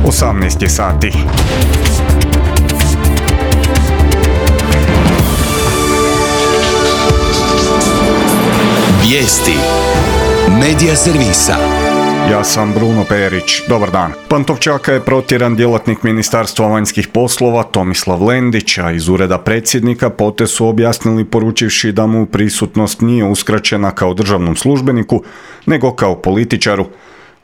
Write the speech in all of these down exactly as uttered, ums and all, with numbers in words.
osamnaest je sati. Vijesti Medija servisa. Ja sam Bruno Perić. Dobar dan. Pantovčaka je protjeran djelatnik Ministarstva vanjskih poslova Tomislav Lendić, a iz ureda predsjednika potez su objasnili poručivši da mu prisutnost nije uskraćena kao državnom službeniku, nego kao političaru.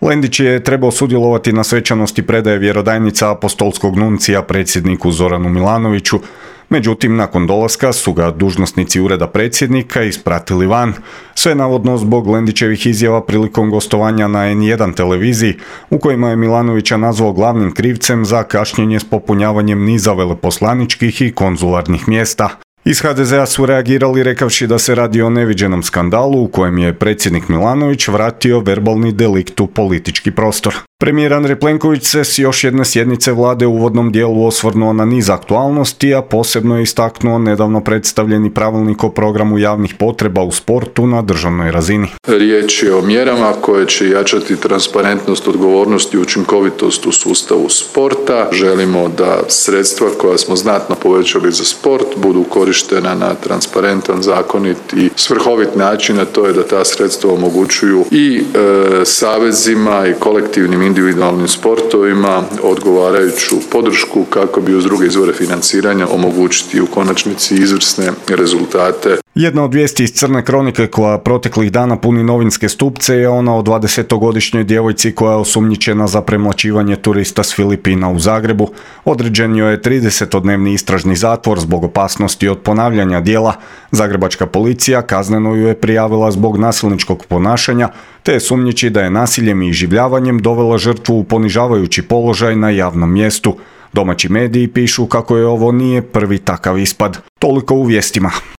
Lendić je trebao sudjelovati na svečanosti predaje vjerodajnica apostolskog nuncija predsjedniku Zoranu Milanoviću, međutim nakon dolaska su ga dužnosnici ureda predsjednika ispratili van, sve navodno zbog Lendićevih izjava prilikom gostovanja na en jedan televiziji, u kojima je Milanovića nazvao glavnim krivcem za kašnjenje s popunjavanjem niza veleposlaničkih i konzularnih mjesta. Iz ha de zea su reagirali rekavši da se radi o neviđenom skandalu u kojem je predsjednik Milanović vratio verbalni delikt u politički prostor. Premijer Andrej Plenković se s još jedne sjednice vlade u uvodnom dijelu osvrnuo na niz aktualnosti, a posebno je istaknuo nedavno predstavljeni pravilnik o programu javnih potreba u sportu na državnoj razini. Riječ je o mjerama koje će jačati transparentnost, odgovornost i učinkovitost u sustavu sporta. Želimo da sredstva koja smo znatno povećali za sport budu korištena na transparentan, zakonit i svrhovit način, a to je da ta sredstva omogućuju i e, savezima i kolektivnim individualnim sportovima odgovarajuću podršku kako bi uz druge izvore financiranja omogućiti u konačnici izvrsne rezultate. Jedna od vijesti iz Crne kronike koja proteklih dana puni novinske stupce je ona o dvadesetogodišnjoj djevojci koja je osumnjičena za premlaćivanje turista s Filipina u Zagrebu. Određen joj je tridesetodnevni istražni zatvor zbog opasnosti od ponavljanja djela. Zagrebačka policija kazneno ju je prijavila zbog nasilničkog ponašanja, te je sumnjiči da je nasiljem i iživljavanjem dovela žrtvu u ponižavajući položaj na javnom mjestu. Domaći mediji pišu kako je ovo nije prvi takav ispad. Toliko u vijestima.